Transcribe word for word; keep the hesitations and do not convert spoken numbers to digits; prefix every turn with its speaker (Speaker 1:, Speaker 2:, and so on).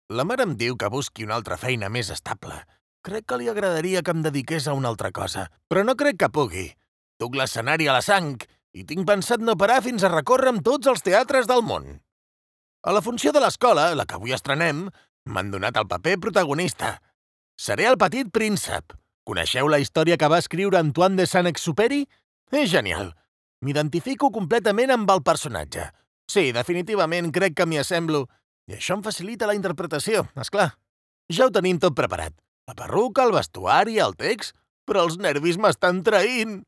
Speaker 1: La mare em diu que busqui una altra feina més estable. Crec que li agradaria que em dediqués a una altra cosa, però no crec que pugui. Duc l'escenari a la sang i tinc pensat no parar fins a recórrer amb tots els teatres del món. A la funció de l'escola, la que avui estrenem, m'han donat el paper protagonista. Seré el petit príncep. Coneixeu la història que va escriure Antoine de Saint-Exupéry? És genial. M'identifico completament amb el personatge. Sí, definitivament crec que m'hi assemblo. I això em facilita la interpretació, és clar. Ja ho tenim tot preparat. La perruca, el vestuari, el text... Però els nervis m'estan traint.